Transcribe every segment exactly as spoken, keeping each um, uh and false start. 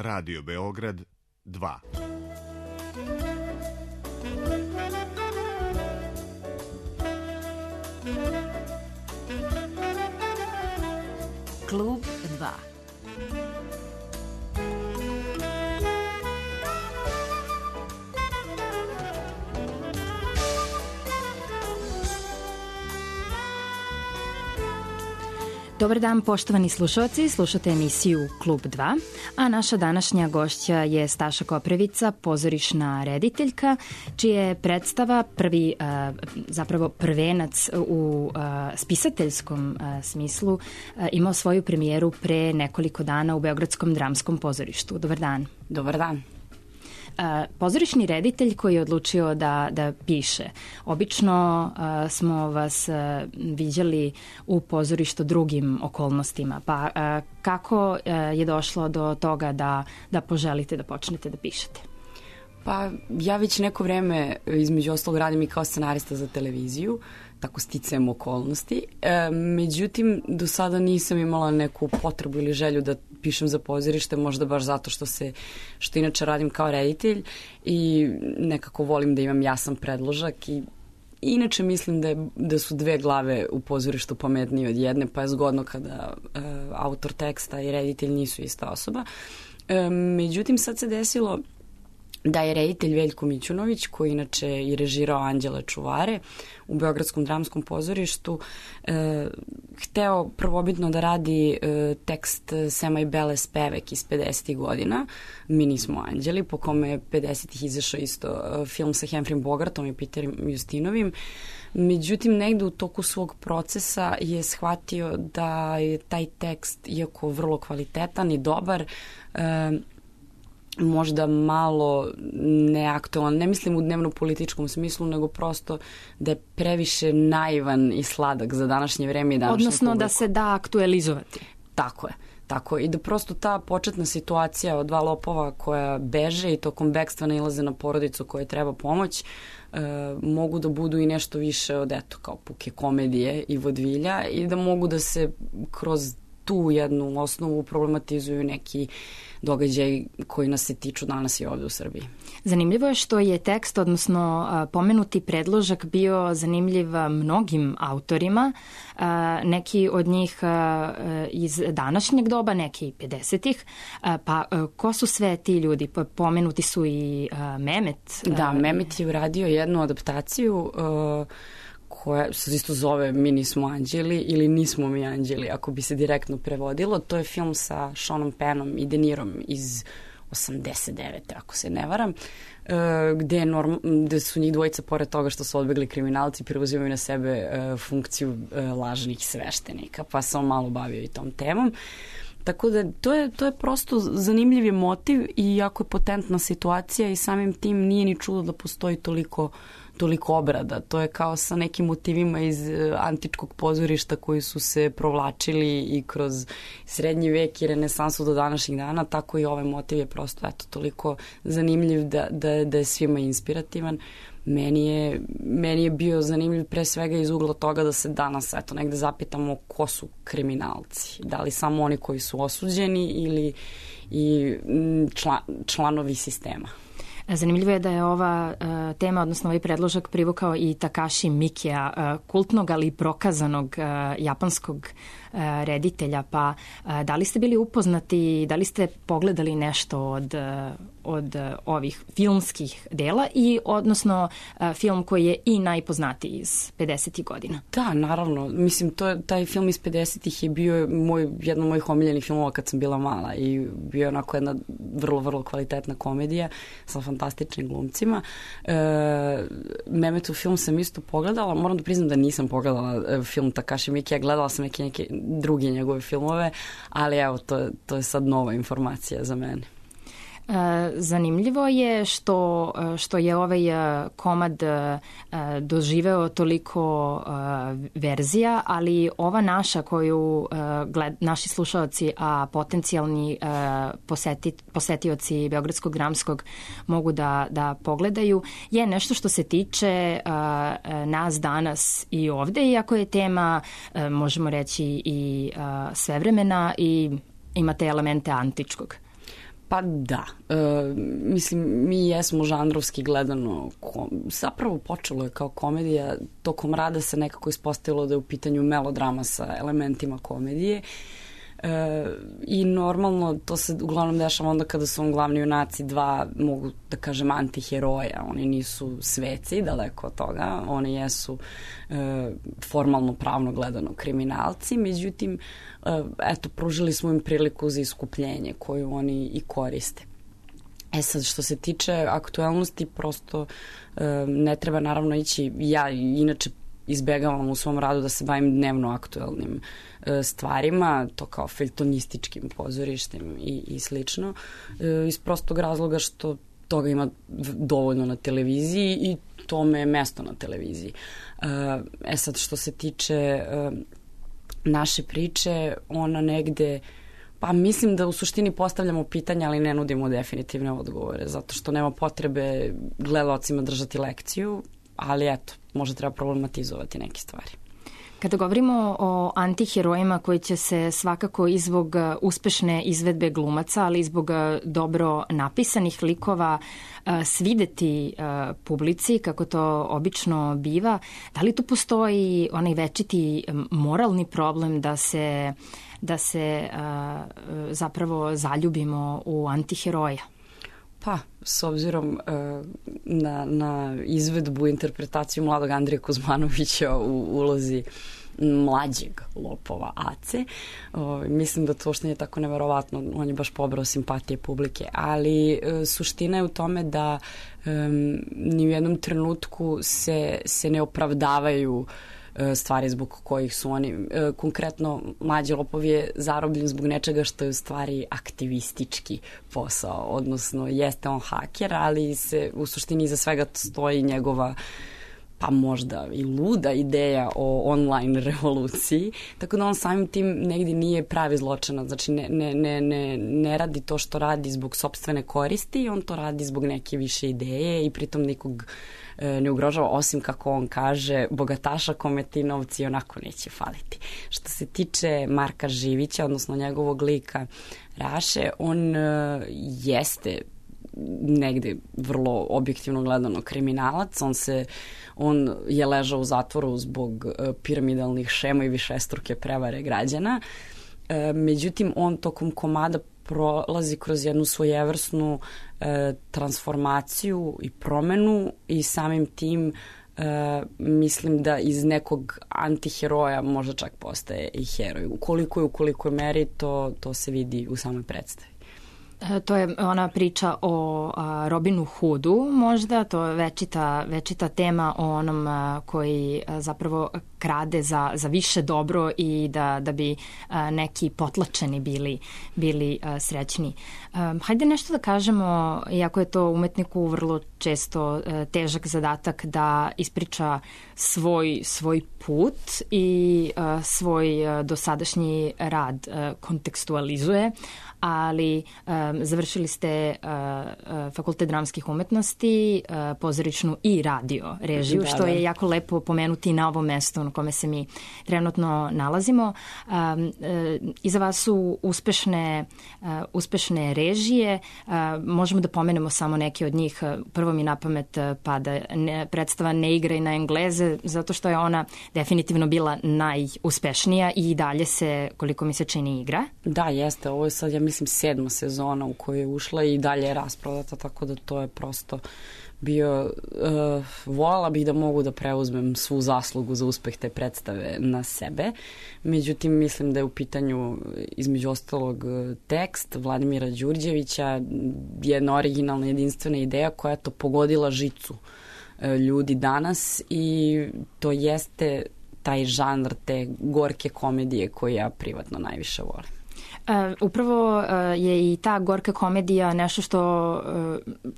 Radio Beograd dva. Klub dva. Dobar dan, poštovani slušalci, slušate emisiju Klub dva, a naša današnja gošća je Staša Koprivica, pozorišna rediteljka, čija je predstava prvi, zapravo prvenac u spisateljskom smislu, imao svoju premijeru pre nekoliko dana u Beogradskom dramskom pozorištu. Dobar dan. Dobar dan. Pozorišni reditelj koji je odlučio da, da piše. Obično uh, smo vas uh, viđali u pozorištu drugim okolnostima, pa uh, kako uh, je došlo do toga da, da poželite da počnete da pišete? Pa ja već neko vreme između ostalog radim i kao scenarista za televiziju, tako sticajem okolnosti. E, međutim, do sada nisam imala neku potrebu ili želju da pišem za pozorište, možda baš zato što se, što inače radim kao reditelj i nekako volim da imam jasan predložak i inače mislim da, je, da su dve glave u pozorištu pametnije od jedne, pa je zgodno kada e, autor teksta i reditelj nisu ista osoba. E, međutim, sad se desilo da je reditelj Veljko Mićunović, koji inače i režirao Anđele čuvare u Beogradskom dramskom pozorištu, e, hteo prvobitno da radi e, tekst Sema i Bele Spevek iz pedesetih godina, Mi nismo anđeli, po kome je pedesetih izašao isto e, film sa Humphreyem Bogartom i Peterom Justinovim. Međutim, negde u toku svog procesa je shvatio da je taj tekst, iako vrlo kvalitetan i dobar, e, možda malo neaktualan, ne mislim u dnevno-političkom smislu, nego prosto da je previše naivan i sladak za današnje vreme i današnje Odnosno publiku. Da se da aktualizovati. Tako je. Tako, i da prosto ta početna situacija od dva lopova koja beže i tokom bekstva nailaze na porodicu koja treba pomoć, e, mogu da budu i nešto više od, eto, kao puke komedije i vodvilja i da mogu da se kroz tu jednu osnovu problematizuju neki događaj koji nas se tiču danas i ovde u Srbiji. Zanimljivo je što je tekst, odnosno pomenuti predložak bio zanimljiv mnogim autorima, neki od njih iz današnjeg doba, neki pedesetih, pa ko su sve ti ljudi? Pomenuti su i Mehmet. Da, Mehmet je uradio jednu adaptaciju koja se isto zove Mi nismo anđeli ili Nismo mi anđeli, ako bi se direktno prevodilo. To je film sa Seanom Pennom i De Nirom iz osamdeset devete ako se ne varam, gde, norm, gde su njih dvojica, pored toga što su odbegli kriminalci, preuzimaju na sebe funkciju lažnih sveštenika, pa sam malo bavio i tom temom. Tako da to je, to je prosto zanimljiv motiv i jako je potentna situacija i samim tim nije ni čudo da postoji toliko toliko obrada. To je kao sa nekim motivima iz antičkog pozorišta koji su se provlačili i kroz srednji vek i renesansu do današnjih dana, tako i ovaj motiv je prosto eto, toliko zanimljiv da, da, da je svima inspirativan. Meni je, meni je bio zanimljiv pre svega iz ugla toga da se danas eto, negde zapitamo ko su kriminalci. Da li samo oni koji su osuđeni ili i član, članovi sistema. Zanimljivo je da je ova uh, tema, odnosno ovaj predložak privukao i Takashi Mikija, uh, kultnog ali prokazanog uh, japanskog uh, reditelja, pa uh, da li ste bili upoznati, da li ste pogledali nešto od, uh, od uh, ovih filmskih dela i odnosno uh, film koji je i najpoznatiji iz pedesetih godina? Da, naravno. Mislim, to, taj film iz pedesetih je bio moj, jedan od mojih omiljenih filmova kad sam bila mala i bio je onako jedna vrlo, vrlo kvalitetna komedija sa fantastičnim glumcima. E, Mehmetov film sam isto pogledala, moram da priznam da nisam pogledala film Takashi Mikija, gledala sam neke, neke druge njegove filmove, ali evo, to, to je sad nova informacija za mene. Zanimljivo je što, što je ovaj komad doživeo toliko verzija, ali ova naša koju gled, naši slušalci, a potencijalni poseti, posetioci Beogradskog dramskog mogu da, da pogledaju, je nešto što se tiče nas danas i ovde, iako je tema, možemo reći, i svevremena i imate elemente antičkog. Pa da, e, mislim, mi jesmo žanrovski gledano, ko, zapravo počelo je kao komedija, tokom rada se nekako ispostavilo da je u pitanju melodrama sa elementima komedije. E, i normalno to se uglavnom dešava onda kada su on glavni junaci dva, mogu da kažem, antiheroja. Oni nisu sveci, daleko od toga, oni jesu e, formalno pravno gledano kriminalci, međutim e, eto, pružili smo im priliku za iskupljenje koju oni i koriste. E sad, što se tiče aktuelnosti, prosto e, ne treba naravno ići, ja inače izbegavam u svom radu da se bavim dnevno aktuelnim e, stvarima, to kao feljtonističkim pozorištem i, i slično, e, iz prostog razloga što toga ima dovoljno na televiziji i tome je mesto na televiziji. E, e sad, što se tiče e, naše priče, ona negde, pa mislim da u suštini postavljamo pitanja, ali ne nudimo definitivne odgovore, zato što nema potrebe gledalcima držati lekciju, ali eto, možda treba problematizovati neke stvari. Kada govorimo o antiherojima koji će se svakako i zbog uspešne izvedbe glumaca, ali i zbog dobro napisanih likova svideti publici, kako to obično biva, da li tu postoji onaj večiti moralni problem da se, da se zapravo zaljubimo u antiheroja? Pa, s obzirom uh, na, na izvedbu, interpretaciju mladog Andrije Kuzmanovića u ulozi mlađeg lopova Ace, uh, mislim da to što nije tako neverovatno, on je baš pobrao simpatije publike, ali uh, suština je u tome da um, ni u jednom trenutku se, se ne opravdavaju stvari zbog kojih su oni. Konkretno, mlađi lopov je zarobljen zbog nečega što je u stvari aktivistički posao, odnosno jeste on haker, ali se u suštini iza svega stoji njegova pa možda i luda ideja o online revoluciji, tako da on samim tim negdje nije pravi zločinac, znači ne, ne, ne, ne, ne radi to što radi zbog sopstvene koristi, on to radi zbog neke više ideje i pritom nikog ne ugrožava, osim kako on kaže, bogataša kome ti novci onako neće faliti. Što se tiče Marka Živića, odnosno njegovog lika Raše, on uh, jeste negde vrlo objektivno gledano kriminalac, on se on je ležao u zatvoru zbog uh, piramidalnih šema i višestruke prevare građana. Uh, međutim, on tokom komada prolazi kroz jednu svojevrsnu e, transformaciju i promenu i samim tim e, mislim da iz nekog antiheroja možda čak postaje i heroj. Ukoliko je u kolikoj meri, to, to se vidi u samoj predstavi. To je ona priča o a, Robinu Hoodu možda, to je večita, večita tema o onom a, koji a, zapravo krade za, za više dobro i da, da bi a, neki potlačeni bili, bili a, srećni. A, hajde nešto da kažemo, iako je to umetniku vrlo često a, težak zadatak da ispriča svoj, svoj put i a, svoj a, dosadašnji rad a, kontekstualizuje, ali um, završili ste uh, uh, Fakultet dramskih umetnosti, uh, pozorišnu i radio režiju, da, što da. je jako lepo pomenuti na ovom mestu na kome se mi trenutno nalazimo. Um, uh, iza vas su uspešne, uh, uspešne režije, uh, možemo da pomenemo samo neke od njih. Prvo mi na pamet pada ne, predstava Ne igraj na Engleze, zato što je ona definitivno bila najuspešnija i dalje se, koliko mi se čini, igra. Da, jeste, ovo je sad, ja mislim, sedma sezona u kojoj je ušla i dalje je rasprodata, tako da to je prosto bio, uh, voljela bih da mogu da preuzmem svu zaslugu za uspeh te predstave na sebe, međutim mislim da je u pitanju između ostalog tekst Vladimira Đurđevića, jedna originalna jedinstvena ideja koja je to pogodila žicu uh, ljudi danas i to jeste taj žanr te gorke komedije koju ja privatno najviše volim. Uh, upravo uh, je i ta gorka komedija nešto što,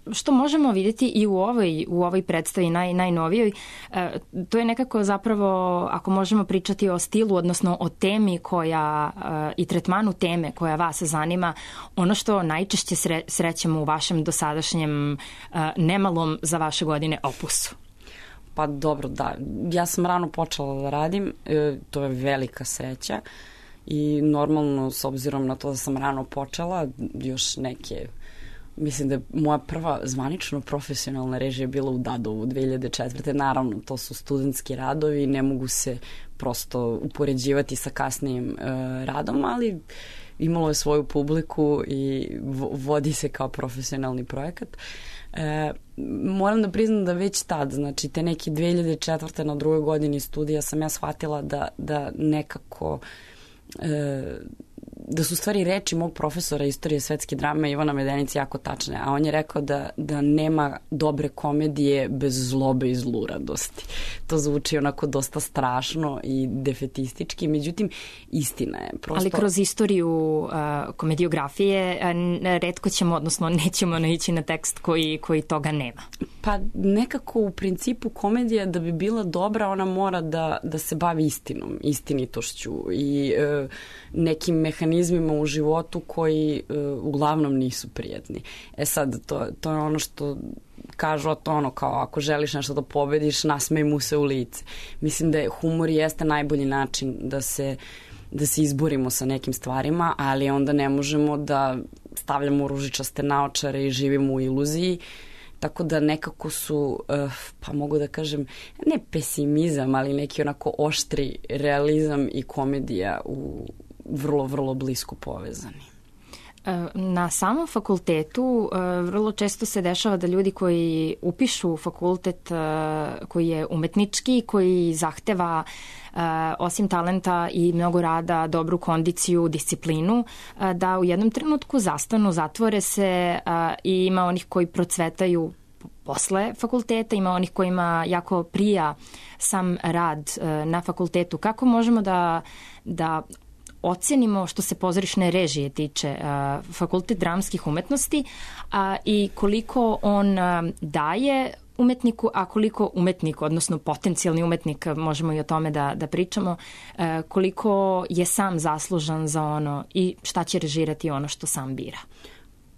uh, što možemo vidjeti i u ovoj, u ovoj predstavi naj, najnovijoj. Uh, to je nekako zapravo, ako možemo pričati o stilu, odnosno o temi koja uh, i tretmanu teme koja vas zanima, ono što najčešće sre, srećemo u vašem dosadašnjem uh, nemalom za vaše godine opusu. Pa dobro, da. Ja sam rano počela da radim, e, to je velika sreća. i normalno, s obzirom na to da sam rano počela, još neke, mislim da je moja prva zvanično profesionalna režija bila u Dadovu dve hiljade četvrte. Naravno, to su studentski radovi, ne mogu se prosto upoređivati sa kasnijim uh, radom, ali imalo je svoju publiku i vodi se kao profesionalni projekat. E, moram da priznam da već tad, znači te neke dve hiljade četvrte na drugoj godini studija sam ja shvatila da, da nekako e, da su stvari reči mog profesora istorije svetske drame Ivana Medenice jako tačne, a on je rekao da, da nema dobre komedije bez zlobe i zluradosti. To zvuči onako dosta strašno i defetistički, međutim istina je. Prosto... Ali kroz istoriju uh, komediografije uh, retko ćemo, odnosno nećemo naići na tekst koji, koji toga nema. Pa nekako u principu komedija da bi bila dobra, ona mora da, da se bavi istinom, istinitošću i uh, nekim mehanizmima u životu koji uh, uglavnom nisu prijatni. E sad, to, to je ono što kažu, to ono kao ako želiš nešto da pobediš, nasmej mu se u lice. Mislim da je humor jeste najbolji način da se, da se izborimo sa nekim stvarima, ali onda ne možemo da stavljamo ružičaste naočare i živimo u iluziji. Tako da nekako su, uh, pa mogu da kažem, ne pesimizam, ali neki onako oštri realizam i komedija u vrlo, vrlo blisko povezani. Na samom fakultetu vrlo često se dešava da ljudi koji upišu fakultet koji je umetnički, koji zahteva osim talenta i mnogo rada, dobru kondiciju, disciplinu, da u jednom trenutku zastanu, zatvore se i ima onih koji procvetaju posle fakulteta, ima onih kojima jako prija sam rad na fakultetu. Kako možemo da, da ocenimo što se pozorišne režije tiče uh, fakultet dramskih umetnosti uh, i koliko on uh, daje umetniku, a koliko umetnik, odnosno potencijalni umetnik, možemo i o tome da, da pričamo, uh, koliko je sam zaslužan za ono i šta će režirati ono što sam bira.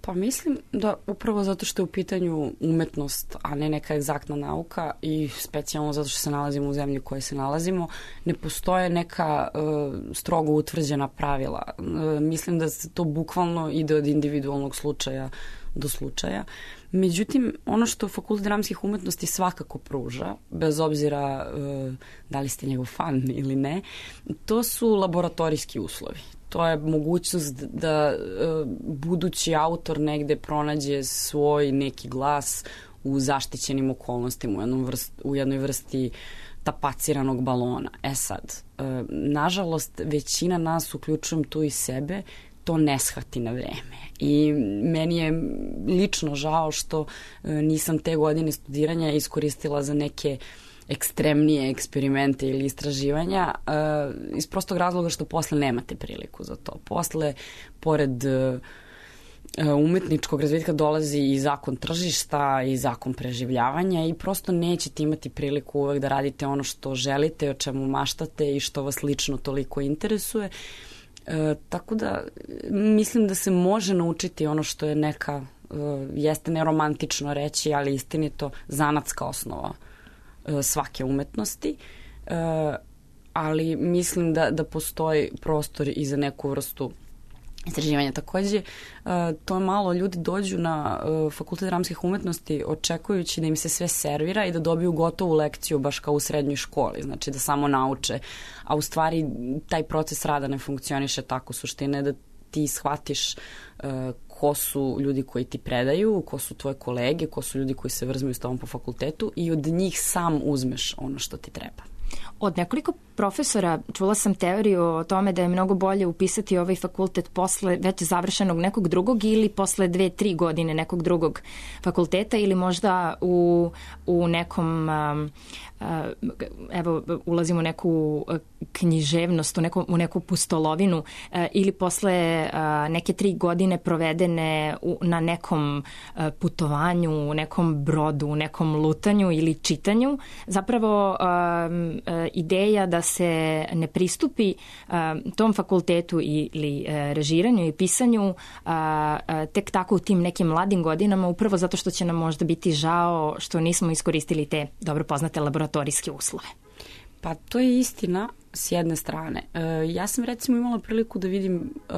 Pa mislim da upravo zato što je u pitanju umetnost, a ne neka egzaktna nauka i specijalno zato što se nalazimo u zemlji u kojoj se nalazimo, ne postoje neka uh, strogo utvrđena pravila. Uh, mislim da se to bukvalno ide od individualnog slučaja do slučaja. Međutim, ono što Fakultet dramskih umetnosti svakako pruža, bez obzira uh, da li ste njegov fan ili ne, to su laboratorijski uslovi. To je mogućnost da uh, budući autor negde pronađe svoj neki glas u zaštićenim okolnostima, u, jednom vrst, u jednoj vrsti tapaciranog balona. E sad, uh, nažalost, većina nas, uključujem tu i sebe, to ne shvati na vreme. I meni je lično žao što uh, nisam te godine studiranja iskoristila za neke ekstremnije eksperimente ili istraživanja uh, iz prostog razloga što posle nemate priliku za to. Posle, pored uh, umetničkog razvitka dolazi i zakon tržišta i zakon preživljavanja i prosto nećete imati priliku uvek da radite ono što želite, o čemu maštate i što vas lično toliko interesuje. Uh, tako da mislim da se može naučiti ono što je neka, uh, jeste neromantično reći, ali istinito, zanatska osnova svake umetnosti, ali mislim da, da postoji prostor i za neku vrstu istraživanja. Takođe, to je malo, ljudi dođu na Fakultet dramskih umetnosti očekujući da im se sve servira i da dobiju gotovu lekciju baš kao u srednjoj školi, znači da samo nauče, a u stvari taj proces rada ne funkcioniše tako. Suština je da ti shvatiš ko su ljudi koji ti predaju, ko su tvoje kolege, ko su ljudi koji se vrzmaju s tobom po fakultetu i od njih sam uzmeš ono što ti treba. Od nekoliko profesora čula sam teoriju o tome da je mnogo bolje upisati ovaj fakultet posle već završenog nekog drugog ili posle dve, tri godine nekog drugog fakulteta ili možda u, u nekom, evo, ulazimo u neku književnost, u neku, u neku pustolovinu ili posle neke tri godine provedene u, na nekom putovanju, u nekom brodu, u nekom lutanju ili čitanju. Zapravo ideja da se ne pristupi tom fakultetu ili režiranju i pisanju tek tako u tim nekim mladim godinama, upravo zato što će nam možda biti žao što nismo iskoristili te dobro poznate laboratorijske uslove. Pa to je istina, s jedne strane. E, ja sam recimo imala priliku da vidim e,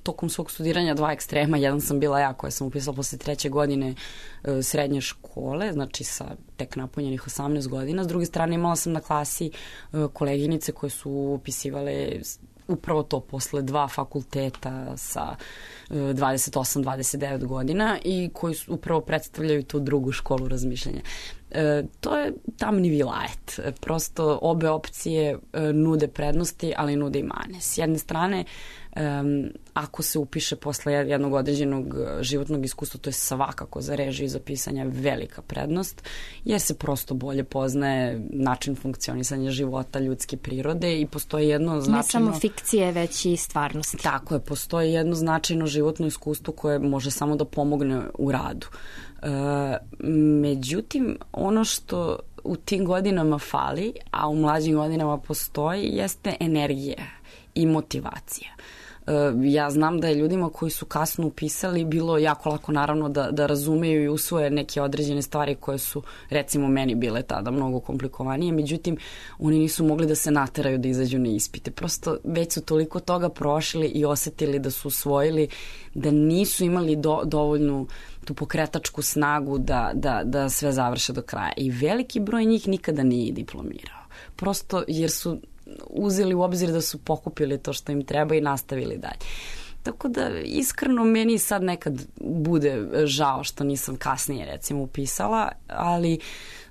tokom svog studiranja dva ekstrema. Jedan sam bila ja koja sam upisala posle treće godine e, srednje škole, znači sa tek napunjenih osamnaest godina. S druge strane imala sam na klasi e, koleginice koje su upisivale upravo to posle dva fakulteta sa dvadeset osam dvadeset devet godina i koji su, upravo predstavljaju tu drugu školu razmišljanja. E, to je tamni vilajet. Prosto obe opcije e, nude prednosti, ali nude i mane. S jedne strane, e, ako se upiše posle jednog određenog životnog iskustva, to je svakako za režiju i za pisanja velika prednost, jer se prosto bolje poznaje način funkcionisanja života, ljudske prirode i postoji jedno značajno... Ne samo fikcije, već i stvarnosti. Tako je, postoji jedno značajno životno iskustvo koje može samo da pomogne u radu. E, međutim, ono što u tim godinama fali, a u mlađim godinama postoji, jeste energija i motivacija. Ja znam da je ljudima koji su kasno upisali bilo jako lako naravno da, da razumeju i usvoje neke određene stvari koje su recimo meni bile tada mnogo komplikovanije, međutim oni nisu mogli da se nateraju da izađu na ispite. Prosto već su toliko toga prošli i osetili da su usvojili, da nisu imali do, dovoljnu tu pokretačku snagu da, da, da sve završe do kraja. I veliki broj njih nikada nije diplomirao. Prosto jer su uzeli u obzir da su pokupili to što im treba i nastavili dalje. Tako da iskreno meni sad nekad bude žao što nisam kasnije recimo upisala, ali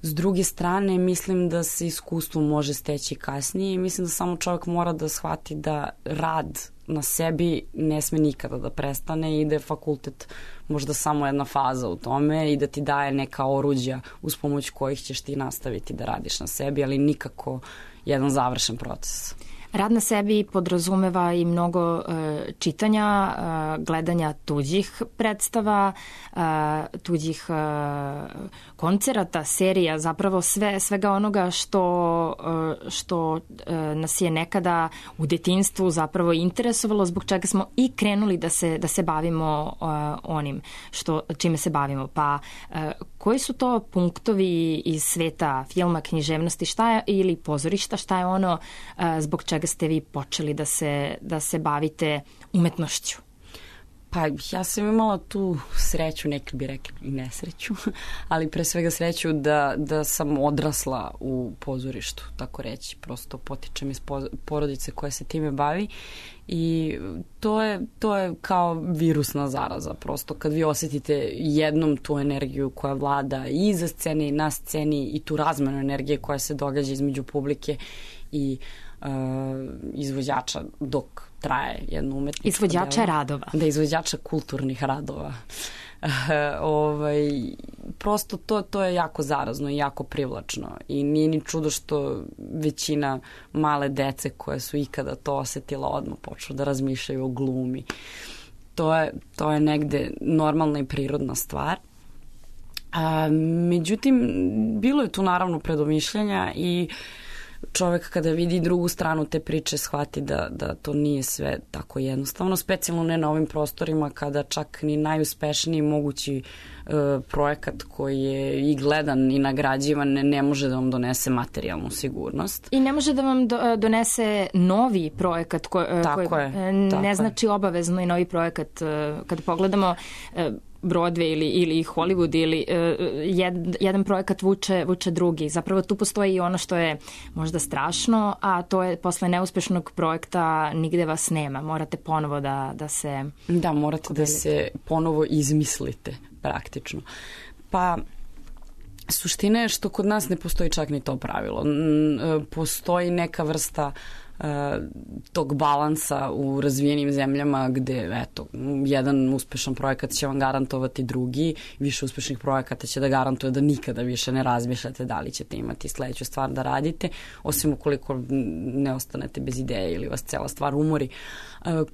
s druge strane mislim da se iskustvo može steći kasnije i mislim da samo čovjek mora da shvati da rad na sebi ne sme nikada da prestane i da je fakultet možda samo jedna faza u tome i da ti daje neka oruđa uz pomoć kojih ćeš ti nastaviti da radiš na sebi, ali nikako jedan završen proces. Rad na sebi podrazumeva i mnogo uh, čitanja, uh, gledanja tuđih predstava, uh, tuđih uh, koncerata, serija, zapravo sve, svega onoga što, uh, što uh, nas je nekada u detinjstvu zapravo interesovalo, zbog čega smo i krenuli da se, da se bavimo uh, onim što, čime se bavimo. Pa uh, koji su to punktovi iz sveta filma, književnosti, šta je, ili pozorišta, šta je ono uh, zbog čega ste vi počeli da se, da se bavite umetnošću? Pa ja sam imala tu sreću, neki bi rekli i nesreću, ali pre svega sreću da, da sam odrasla u pozorištu, tako reći. Prosto potičem iz porodice koja se time bavi i to je, to je kao virusna zaraza. Prosto kad vi osetite jednom tu energiju koja vlada i iza scene i na sceni i tu razmenu energije koja se događa između publike i uh, izvođača dok traje jedno umetničko izvođača delo. radova. Da, izvođača kulturnih radova. Uh, ovaj, prosto to, to je jako zarazno i jako privlačno i nije ni čudo što većina male dece koje su ikada to osetila odmah počnu da razmišljaju o glumi. To je, to je negde normalna i prirodna stvar. A, međutim, bilo je tu naravno predomišljanja i čovek kada vidi drugu stranu te priče shvati da, da to nije sve tako jednostavno, specijalno ne na ovim prostorima kada čak ni najuspešniji mogući e, projekat koji je i gledan i nagrađivan ne, ne može da vam donese materijalnu sigurnost. I ne može da vam do, donese novi projekat ko, tako koji je, ne tako znači je. Obavezno i novi projekat. Kada pogledamo Broadway ili, ili Hollywood ili uh, jed, jedan projekat vuče, vuče drugi. Zapravo tu postoji i ono što je možda strašno, a to je posle neuspešnog projekta nigde vas nema. Morate ponovo da, da se... Da, morate podelite. Da se ponovo izmislite praktično. Pa suština je što kod nas ne postoji čak ni to pravilo. Postoji neka vrsta tog balansa u razvijenim zemljama gde, eto, jedan uspešan projekat će vam garantovati drugi, više uspešnih projekata će da garantuje da nikada više ne razmišljate da li ćete imati sledeću stvar da radite, osim ukoliko ne ostanete bez ideje ili vas cela stvar umori.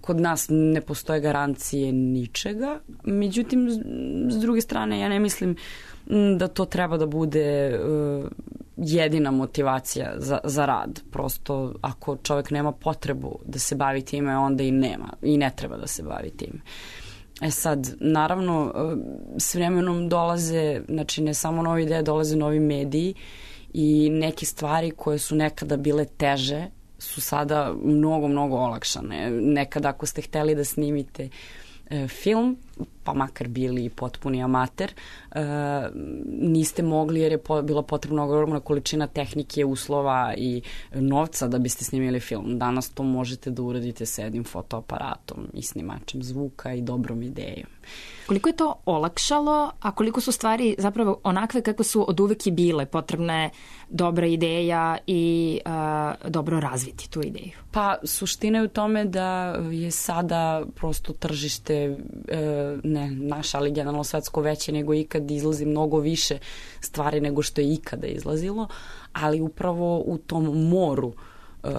Kod nas ne postoje garancije ničega, međutim, s druge strane, ja ne mislim da to treba da bude uh, jedina motivacija za, za rad. Prosto ako čovjek nema potrebu da se bavi time, onda i nema i ne treba da se bavi time. E sad, naravno, uh, s vremenom dolaze, znači ne samo nove ideje, dolaze novi mediji i neke stvari koje su nekada bile teže su sada mnogo, mnogo olakšane. Nekad ako ste hteli da snimite e, film, pa makar bili potpuni amater, e, niste mogli jer je po, bila potrebna ogromna količina tehnike, uslova i novca da biste snimili film. Danas to možete da uradite sa jednim fotoaparatom i snimačem zvuka i dobrom idejom. Koliko je to olakšalo, a koliko su stvari zapravo onakve kako su od uvek i bile, potrebna je dobra ideja i uh, dobro razviti tu ideju? Pa suština je u tome da je sada prosto tržište uh, ne naša, ali generalno svetsko veće nego ikad, izlazi mnogo više stvari nego što je ikada izlazilo, ali upravo u tom moru uh,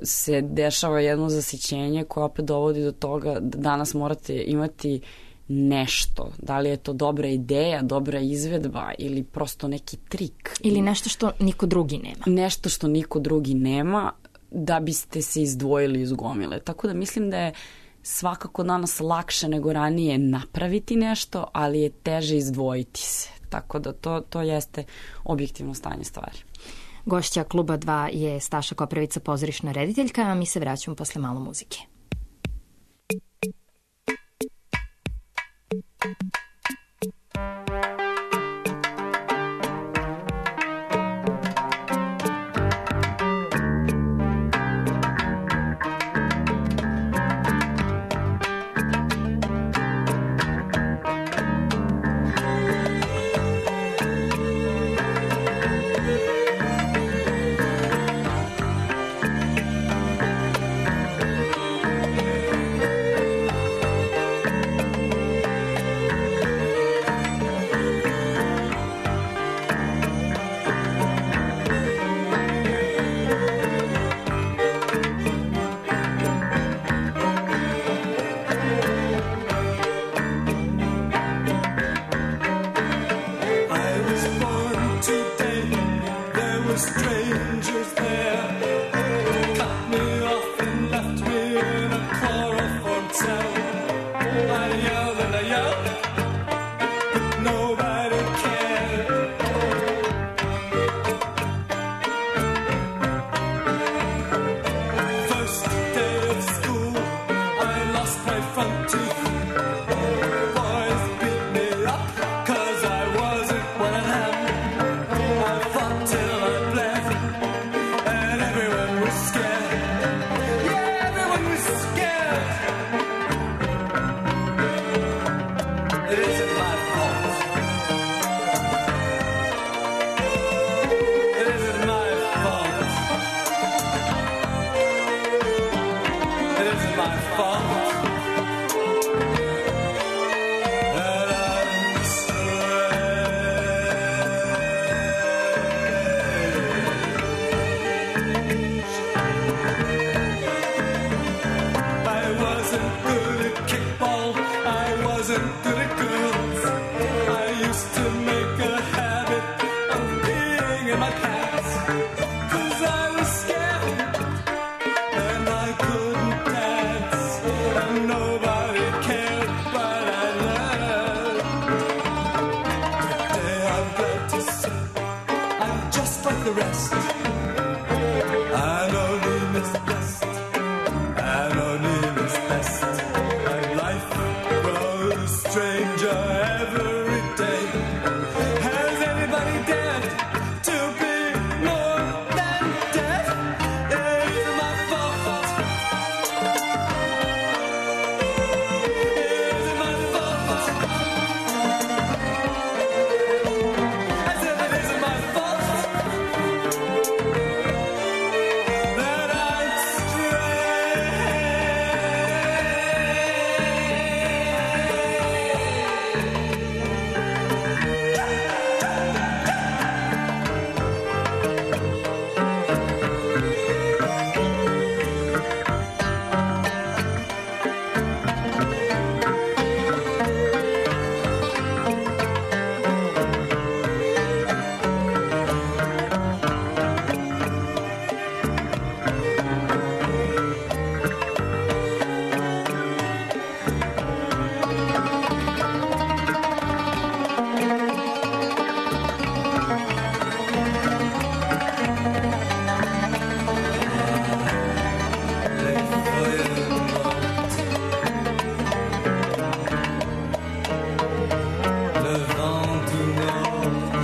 se dešava jedno zasićenje koje opet dovodi do toga da danas morate imati nešto, da li je to dobra ideja, dobra izvedba ili prosto neki trik. Ili nešto što niko drugi nema. Nešto što niko drugi nema da biste se izdvojili iz gomile. Tako da mislim da je svakako danas lakše nego ranije napraviti nešto, ali je teže izdvojiti se. Tako da to, to jeste objektivno stanje stvari. Gošća Kluba dva je Staša Koprivica, pozorišna rediteljka, a mi se vraćamo posle malo muzike.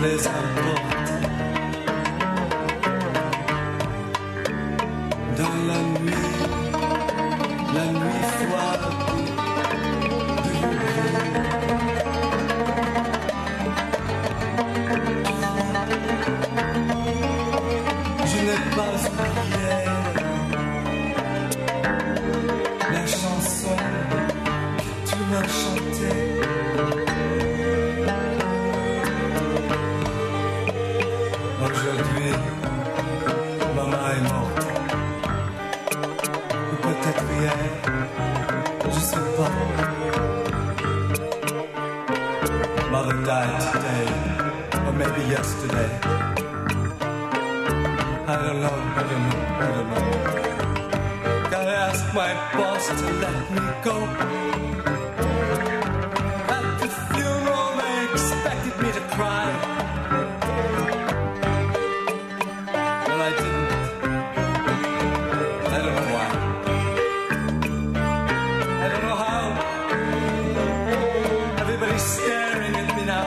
les importe. Dans la nuit, la nuit froide de je n'ai pas oublié la chanson que tu m'as chantée. Aujourd'hui, maman est morte. Ou peut-être hier, je sais pas. Mother died today, or maybe yesterday. I don't know, I don't know, I don't know. Gotta ask my boss to let me go. At the funeral, they expected me to cry. Well, I didn't. I don't know why. I don't know how. Everybody's staring at me now.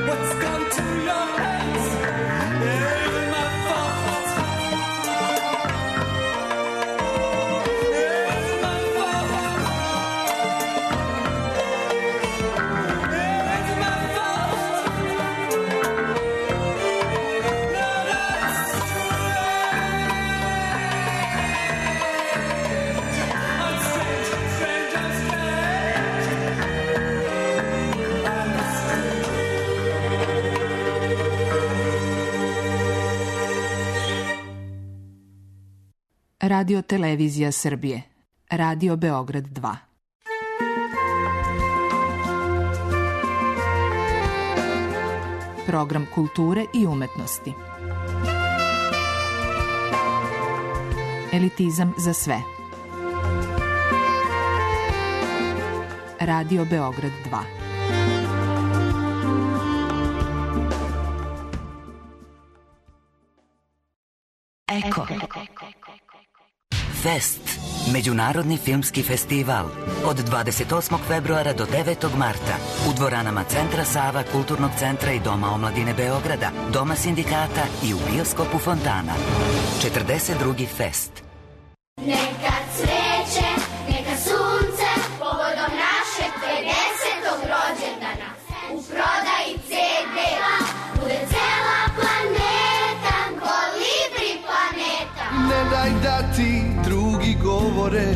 What's gone to your heads? It isn't my fault. It isn't my fault. It isn't my fault. No, that's I'm strange, strange, I'm strange. I'm strange. Radio Televizija Srbije. Radio Beograd dva. Program kulture i umetnosti. Elitizam za sve. Radio Beograd dva. Eko. Fest. Međunarodni filmski festival. Od dvadeset osmog februara do devetog marta. U dvoranama Centra Sava, Kulturnog centra i Doma omladine Beograda, Doma sindikata i u bioskopu Fontana. četrdeset drugi Fest. Neka cveće, neka sunce, povodom našeg pedesetog rođendana. U prodaji ce de bude cela planeta, kolibri planeta. Ne daj da ti drugi govore,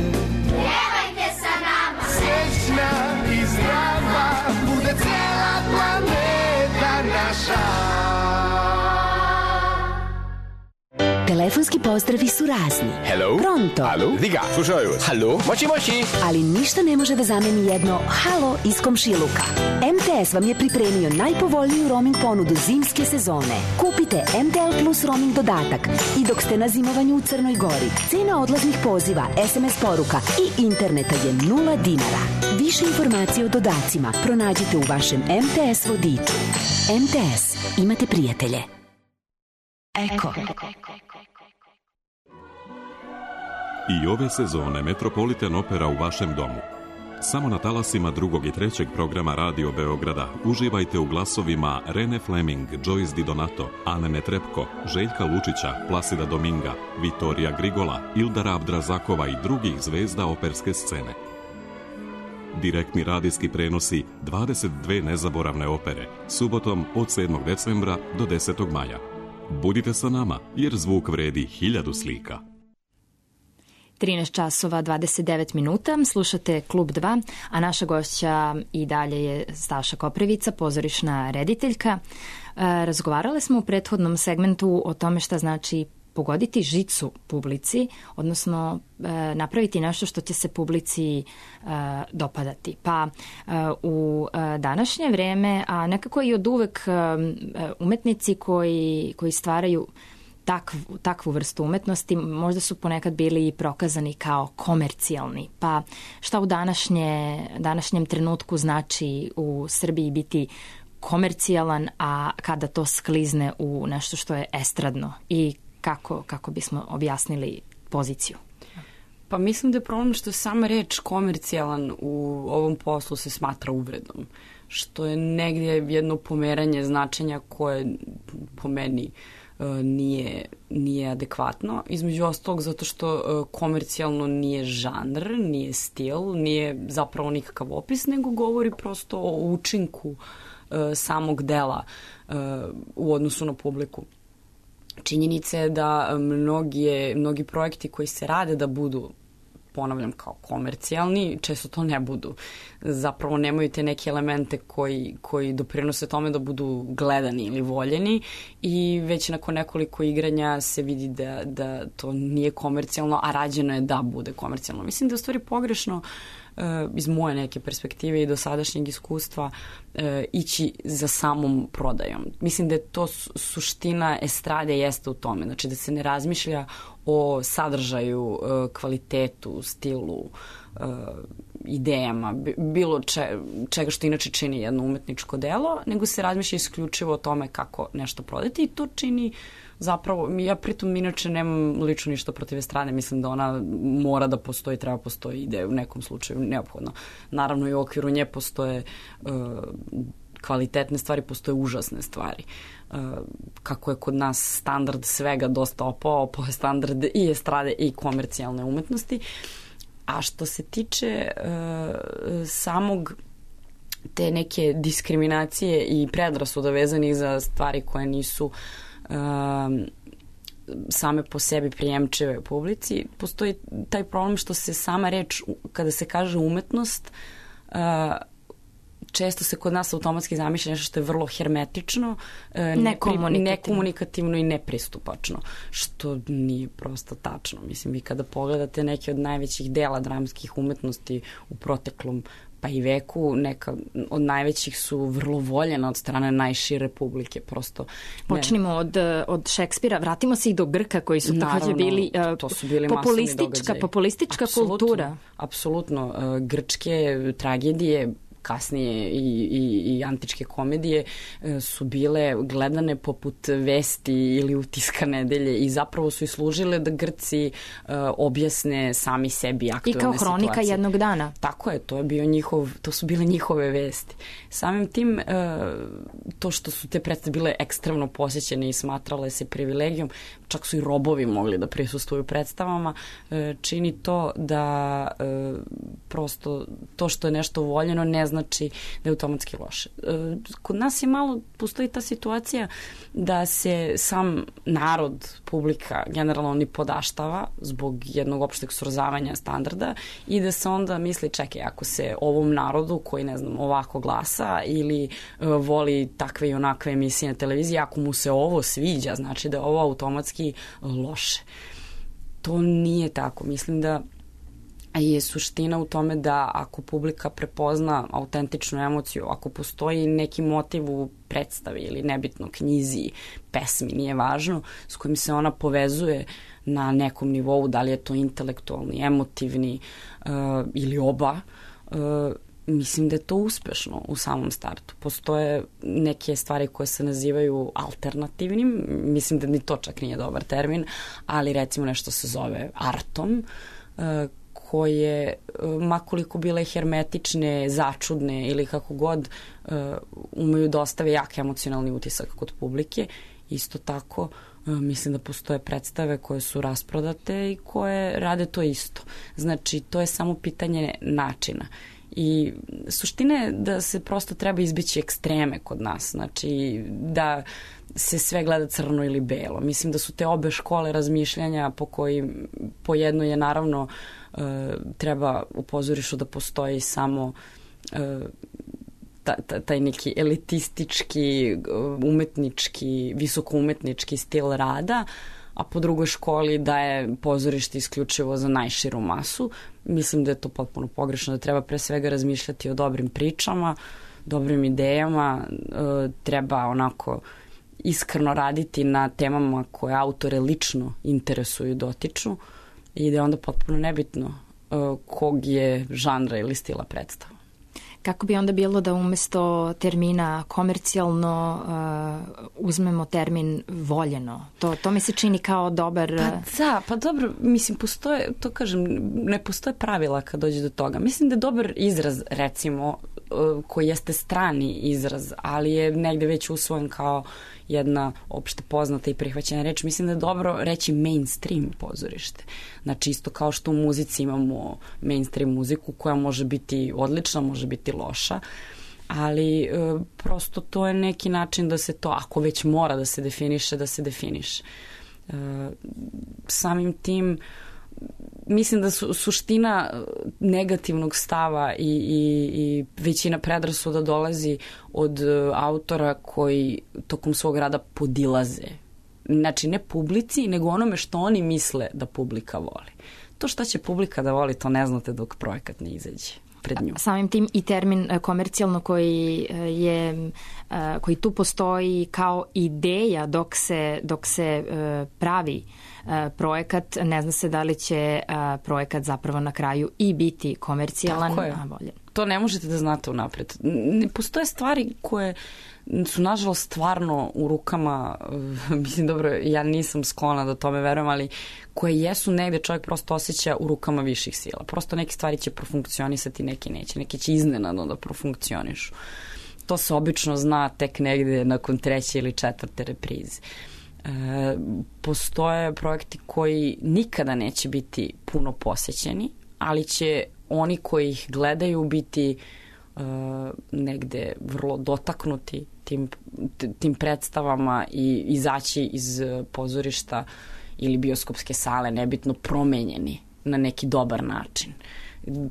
Pevajte sa nama, srećna i zdrava, bude cijela planeta naša. Telefonski pozdravi su razni. Hello? Pronto? Alo? Diga, slušaju vas. Halo? Moći, moći. Ali ništa ne može da zameni jedno halo iz komšiluka. em te es vam je pripremio najpovoljniju roaming ponudu zimske sezone. Kupite em te el Plus roaming dodatak i dok ste na zimovanju u Crnoj Gori, cena odlaznih poziva, es em es poruka i interneta je nula dinara. Više informacije o dodacima pronađite u vašem em te es vodiču. em te es. Imate prijatelje. Eko. I ove sezone Metropolitan Opera u vašem domu. Samo na talasima drugog i trećeg programa Radio Beograda uživajte u glasovima Rene Fleming, Joyce Di Donato, Ane Netrebko, Željka Lučića, Plasida Dominga, Vitorija Grigola, Ildara Abdrazakova i drugih zvezda operske scene. Direktni radijski prenosi dvadeset dve nezaboravne opere, subotom od sedmog decembra do desetog maja. Budite sa nama, jer zvuk vredi hiljadu slika. trinaest časova dvadeset devet minuta, slušate Klub dva, a naša gošća i dalje je Staša Koprivica, pozorišna rediteljka. Razgovarale smo u prethodnom segmentu o tome šta znači pogoditi žicu publici, odnosno napraviti nešto što će se publici dopadati. Pa u današnje vreme, a nekako i od uvek umetnici koji, koji stvaraju Takvu, takvu vrstu umetnosti možda su ponekad bili prokazani kao komercijalni. Pa šta u današnje, današnjem trenutku znači u Srbiji biti komercijalan, a kada to sklizne u nešto što je estradno i kako, kako bismo objasnili poziciju? Pa mislim da je problem što sama reč komercijalan u ovom poslu se smatra uvredom. što je negdje jedno pomeranje značenja koje po meni nije, nije adekvatno. Između ostalog zato što komercijalno nije žanr, nije stil, nije zapravo nikakav opis, nego govori prosto o učinku samog dela u odnosu na publiku. Činjenica je da mnogi, mnogi projekti koji se rade da budu, ponavljam, kao komercijalni, često to ne budu. Zapravo nemaju te neke elemente koji, koji doprinose tome da budu gledani ili voljeni i već nakon nekoliko igranja se vidi da, da to nije komercijalno, a rađeno je da bude komercijalno. Mislim da je u stvari pogrešno iz moje neke perspektive i dosadašnjeg iskustva e, ići za samom prodajom. Mislim da je to suština estrade jeste u tome. Znači da se ne razmišlja o sadržaju, e, kvalitetu, stilu, e, idejama, bilo če, čega što inače čini jedno umetničko delo, nego se razmišlja isključivo o tome kako nešto prodati i to čini zapravo, ja pritom inače nemam lično ništa protiv estrade, mislim da ona mora da postoji, treba postoji ide u nekom slučaju neophodno. Naravno i u okviru nje postoje uh, kvalitetne stvari, postoje užasne stvari. Uh, kako je kod nas standard svega dosta opao, opao je standard i estrade i komercijalne umetnosti. A što se tiče uh, samog te neke diskriminacije i predrasuda vezanih za stvari koje nisu Um, same po sebi prijemčive publici, postoji taj problem što se sama reč, kada se kaže umetnost, uh, često se kod nas automatski zamišlja nešto što je vrlo hermetično, uh, nekomunikativno. nekomunikativno i nepristupačno, što nije prosto tačno. Mislim, vi kada pogledate neke od najvećih dela dramskih umetnosti u proteklom pa i veku, neka od najvećih su vrlo voljena od strane najšire publike, prosto. Počnimo od, od Šekspira, vratimo se i do Grka koji su takođe bili, uh, to su bili populistička, populistička apsolutno, kultura. Apsolutno, uh, grčke tragedije, kasnije i, i, i antičke komedije su bile gledane poput vesti ili utiska nedelje i zapravo su i služile da Grci uh, objasne sami sebi aktualne situacije. I kao hronika situacije. Jednog dana. Tako je, to je bio njihov, to su bile njihove vesti. Samim tim, uh, to što su te predstave bile ekstremno posjećene i smatrale se privilegijom, čak su i robovi mogli da prisustvuju predstavama, uh, čini to da uh, prosto to što je nešto voljeno ne znači da je automatski loše. Kod nas je malo, postoji ta situacija da se sam narod, publika generalno ni podaštava zbog jednog opšteg srozavanja standarda i da se onda misli, čekaj, ako se ovom narodu koji, ne znam, ovako glasa ili uh, voli takve i onakve emisije na televiziji, ako mu se ovo sviđa, znači da je ovo automatski loše. To nije tako. Mislim da je suština u tome da ako publika prepozna autentičnu emociju, ako postoji neki motiv u predstavi ili nebitno knjizi, pesmi, nije važno, s kojim se ona povezuje na nekom nivou, da li je to intelektualni, emotivni uh, ili oba, uh, mislim da je to uspešno u samom startu. Postoje neke stvari koje se nazivaju alternativnim, mislim da ni to čak nije dobar termin, ali recimo nešto se zove artom, uh, koje, makoliko bile hermetične, začudne ili kako god, umeju da ostave jak emocionalni utisak kod publike. Isto tako, mislim da postoje predstave koje su rasprodate i koje rade to isto. Znači, to je samo pitanje načina. I suština je da se prosto treba izbeći ekstreme kod nas. Znači, da se sve gleda crno ili belo. Mislim da su te obe škole razmišljanja po kojim, po jedno je naravno uh, treba u pozorištu da postoji samo uh, ta, ta, taj neki elitistički, umetnički, visokoumetnički stil rada, a po drugoj školi da je pozorište isključivo za najširu masu. Mislim da je to potpuno pogrešno, da treba pre svega razmišljati o dobrim pričama, dobrim idejama, uh, treba onako iskreno raditi na temama koje autore lično interesuju i dotiču i da je onda potpuno nebitno uh, kog je žanra ili stila predstava. kako bi onda bilo da umesto termina komercijalno uh, uzmemo termin voljeno? To, to mi se čini kao dobar... Pa da, pa dobro, mislim, postoje, to kažem, ne postoje pravila kad dođe do toga. Mislim da je dobar izraz, recimo, koji jeste strani izraz, ali je negde već usvojen kao jedna opšte poznata i prihvaćena reč. Mislim da je dobro reći mainstream pozorište. Znači, isto kao što u muzici imamo mainstream muziku koja može biti odlična, može biti loša, ali e, prosto to je neki način da se to, ako već mora da se definiše, da se definiše. E, samim tim, mislim da su suština negativnog stava i, i, i većina predrasuda dolazi od autora koji tokom svog rada podilaze. Znači, ne publici, nego onome što oni misle da publika voli. To šta će publika da voli, to ne znate dok projekat ne izađe pred nju. Samim tim i termin komercijalno koji je, koji tu postoji kao ideja dok se, dok se pravi projekat, ne zna se da li će projekat zapravo na kraju i biti komercijalan, a voljen. To ne možete da znate unapred. Ne postoje stvari koje su nažalost stvarno u rukama, mislim dobro, ja nisam sklona da tome verujem, ali koje jesu negde čovjek prosto osjeća u rukama viših sila. Prosto neke stvari će profunkcionisati, neke neće, neke će iznenadno da profunkcionišu. To se obično zna tek negde nakon treće ili četvrte reprize. E, postoje projekti koji nikada neće biti puno posećeni, ali će oni koji ih gledaju biti uh, negde vrlo dotaknuti tim, tim predstavama i izaći iz pozorišta ili bioskopske sale, nebitno, promenjeni na neki dobar način.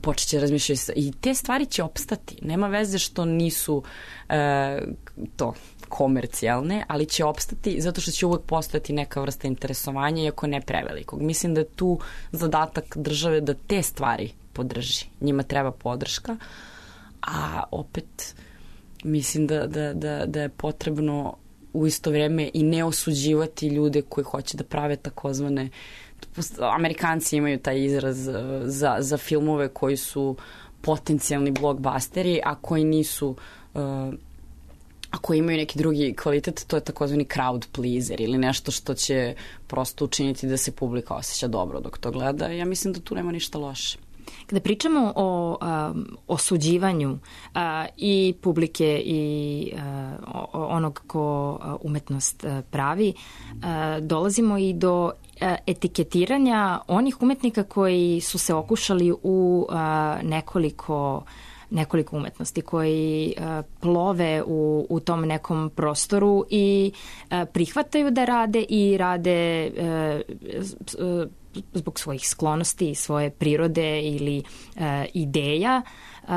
Počet će razmišljati i te stvari će opstati. Nema veze što nisu uh, to komercijalne, ali će opstati zato što će uvek postojati neka vrsta interesovanja, iako ne prevelikog. Mislim da je tu zadatak države da te stvari podrži. Njima treba podrška, a opet mislim da, da, da, da je potrebno u isto vreme i ne osuđivati ljude koji hoće da prave takozvane, Amerikanci imaju taj izraz za, za filmove koji su potencijalni blockbusteri, a koji nisu uh, ako imaju neki drugi kvalitet, to je takozvani crowd pleaser ili nešto što će prosto učiniti da se publika osjeća dobro dok to gleda. Ja mislim da tu nema ništa loše. Kada pričamo o um, osuđivanju uh, i publike i uh, onog ko uh, umetnost uh, pravi, uh, dolazimo i do uh, etiketiranja onih umetnika koji su se okušali u uh, nekoliko nekoliko umetnosti koji uh, plove u, u tom nekom prostoru i uh, prihvataju da rade i rade uh, uh, zbog svojih sklonosti, svoje prirode ili uh, ideja uh,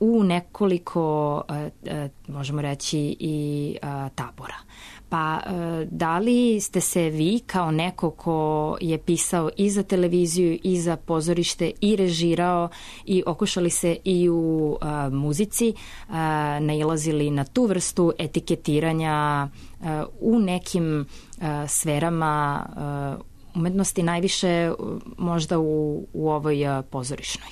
u nekoliko, uh, uh, možemo reći, i uh, tabora. Pa da li ste se vi kao neko ko je pisao i za televiziju i za pozorište i režirao i okušali se i u a, muzici a, nailazili na tu vrstu etiketiranja a, u nekim a, sferama a, umetnosti, najviše možda u, u ovoj a, pozorišnoj?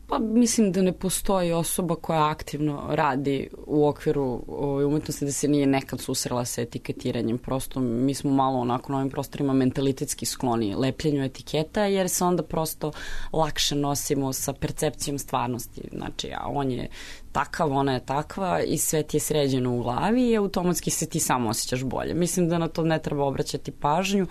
Pa mislim da ne postoji osoba koja aktivno radi u okviru ove umetnosti da se nije nekad susrela sa etiketiranjem. Prosto mi smo malo onako na ovim prostorima mentalitetski skloni lepljenju etiketa, jer se onda prosto lakše nosimo sa percepcijom stvarnosti. Znači, a on je takav, ona je takva i sve ti je sređeno u glavi i automatski se ti samo osjećaš bolje. Mislim da na to ne treba obraćati pažnju.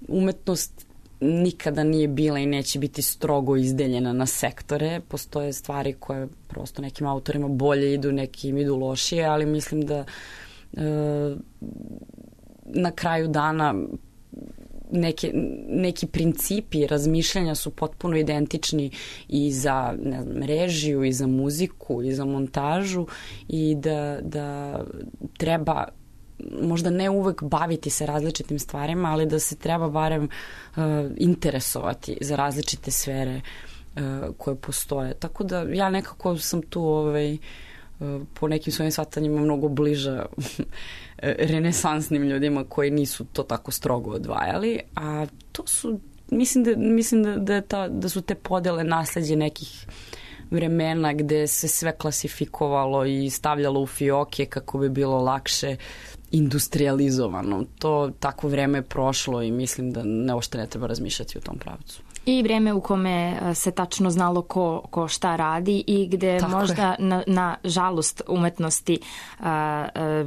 Umetnost nikada nije bila i neće biti strogo izdeljena na sektore. Postoje stvari koje prosto nekim autorima bolje idu, nekim idu lošije, ali mislim da e, na kraju dana neke, neki principi razmišljanja su potpuno identični i za, ne znam, režiju, i za muziku, i za montažu, i da, da treba možda ne uvek baviti se različitim stvarima, ali da se treba barem uh, interesovati za različite sfere uh, koje postoje. Tako da ja nekako sam tu ovaj, uh, po nekim svojim shvatanjima mnogo bliža renesansnim ljudima koji nisu to tako strogo odvajali, a to su, mislim da, mislim da, da, je ta, da su te podele nasleđe nekih vremena gde se sve klasifikovalo i stavljalo u fioke kako bi bilo lakše industrializovano. To takvo vreme je prošlo i mislim da ne ošte ne treba razmišljati u tom pravcu. I vreme u kome se tačno znalo ko, ko šta radi i gde Tako možda na, na žalost umetnosti a, a,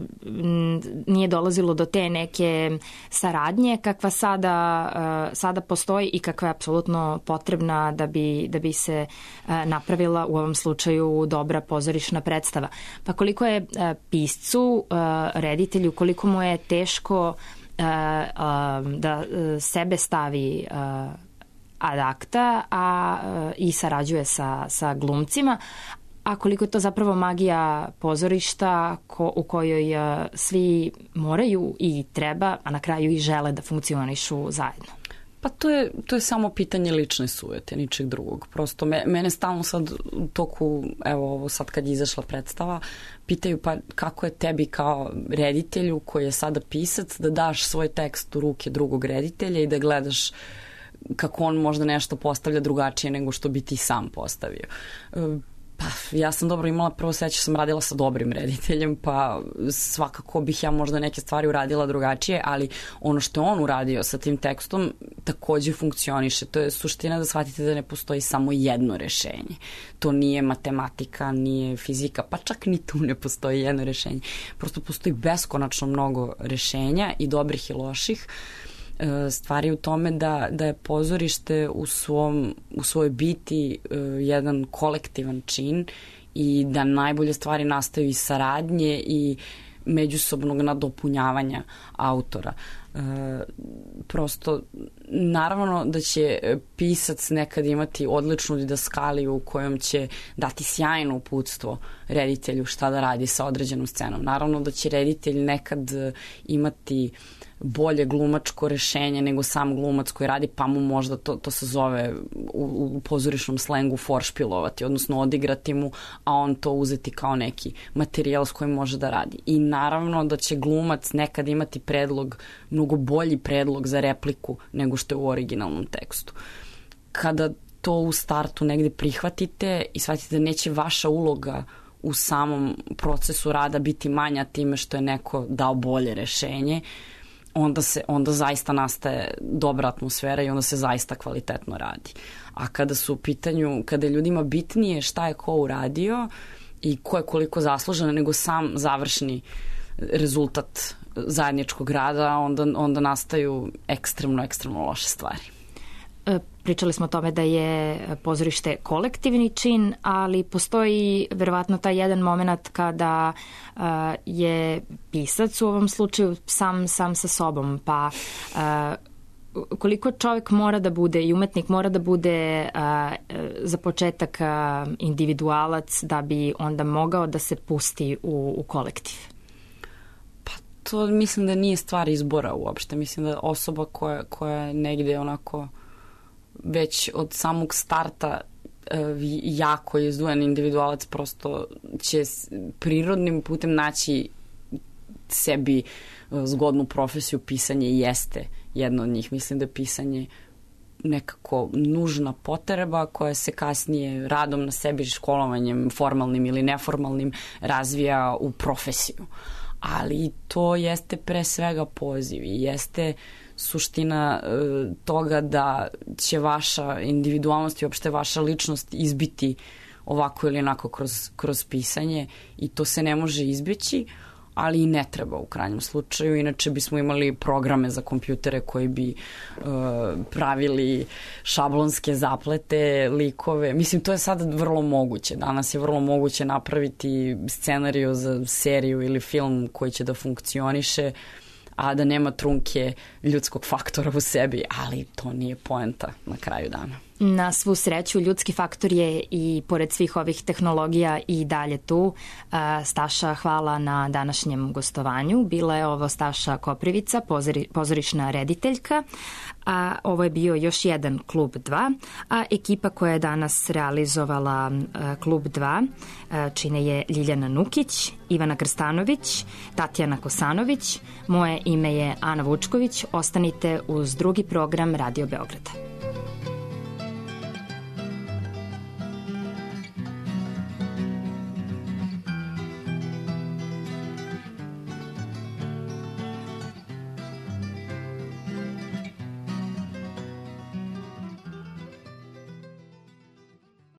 nije dolazilo do te neke saradnje kakva sada, a, sada postoji i kakva je apsolutno potrebna da bi, da bi se a, napravila u ovom slučaju dobra pozorišna predstava. Pa koliko je a, piscu, a, reditelju, koliko mu je teško a, a, da sebe stavi a, ad acta, a i sarađuje sa, sa glumcima, a koliko je to zapravo magija pozorišta ko, u kojoj a, svi moraju i treba, a na kraju i žele da funkcionišu zajedno. Pa to je, to je samo pitanje lične sujete, ničeg drugog. Prosto me, mene stalno sad u toku, evo ovo sad kad je izašla predstava, pitaju pa kako je tebi kao reditelju koji je sada pisac da daš svoj tekst u ruke drugog reditelja i da gledaš kako on možda nešto postavlja drugačije nego što bi ti sam postavio. Pa ja sam dobro imala, prvo seća sam radila sa dobrim rediteljem, pa svakako bih ja možda neke stvari uradila drugačije, ali ono što je on uradio sa tim tekstom takođe funkcioniše. To je suština da shvatite da ne postoji samo jedno rešenje. To nije matematika, nije fizika, pa čak ni tu ne postoji jedno rešenje. Prosto postoji beskonačno mnogo rešenja i dobrih i loših. Stvari u tome da, da je pozorište u, svom, u svojoj biti uh, jedan kolektivan čin i da najbolje stvari nastaju iz saradnje i međusobnog nadopunjavanja autora. Uh, prosto, naravno da će pisac nekad imati odličnu didaskaliju u kojom će dati sjajno uputstvo reditelju šta da radi sa određenom scenom. Naravno da će reditelj nekad imati bolje glumačko rešenje nego sam glumac koji radi, pa mu možda to, to se zove u, u pozorišnom slengu foršpilovati, odnosno odigrati mu, a on to uzeti kao neki materijal s kojim može da radi. I naravno da će glumac nekad imati predlog, mnogo bolji predlog za repliku nego što je u originalnom tekstu. Kada to u startu negde prihvatite i shvatite da neće vaša uloga u samom procesu rada biti manja time što je neko dao bolje rešenje, onda se onda zaista nastaje dobra atmosfera i onda se zaista kvalitetno radi. A kada su u pitanju, kada je ljudima bitnije šta je ko uradio i ko je koliko zaslužen nego sam završni rezultat zajedničkog rada, onda, onda nastaju ekstremno, ekstremno loše stvari. Pričali smo o tome da je pozorište kolektivni čin, ali postoji verovatno taj jedan moment kada uh, je pisac u ovom slučaju sam, sam sa sobom, pa uh, koliko čovjek mora da bude i umetnik mora da bude uh, za početak uh, individualac da bi onda mogao da se pusti u, u kolektiv? Pa to mislim da nije stvar izbora uopšte. Mislim da osoba koja, koja je negde onako već od samog starta jako izdvojen individualac prosto će prirodnim putem naći sebi zgodnu profesiju. Pisanje jeste jedno od njih. Mislim da je pisanje nekako nužna potreba koja se kasnije radom na sebi, školovanjem formalnim ili neformalnim razvija u profesiju. Ali to jeste pre svega poziv i jeste suština e, toga da će vaša individualnost i uopšte vaša ličnost izbiti ovako ili onako kroz, kroz pisanje i to se ne može izbjeći, ali i ne treba u krajnjem slučaju. Inače bismo imali programe za kompjutere koji bi e, pravili šablonske zaplete, likove. Mislim, to je sad vrlo moguće. Danas je vrlo moguće napraviti scenariju za seriju ili film koji će da funkcioniše, a da nema trunke ljudskog faktora u sebi, ali to nije poenta na kraju dana. Na svu sreću, ljudski faktor je i pored svih ovih tehnologija i dalje tu. Staša, hvala na današnjem gostovanju. Bila je ovo Staša Koprivica, pozori, pozorišna rediteljka, a ovo je bio još jedan Klub dva, a ekipa koja je danas realizovala Klub dva čine je Ljiljana Nukić, Ivana Krstanović, Tatjana Kosanović, moje ime je Ana Vučković. Ostanite uz drugi program Radio Beograda.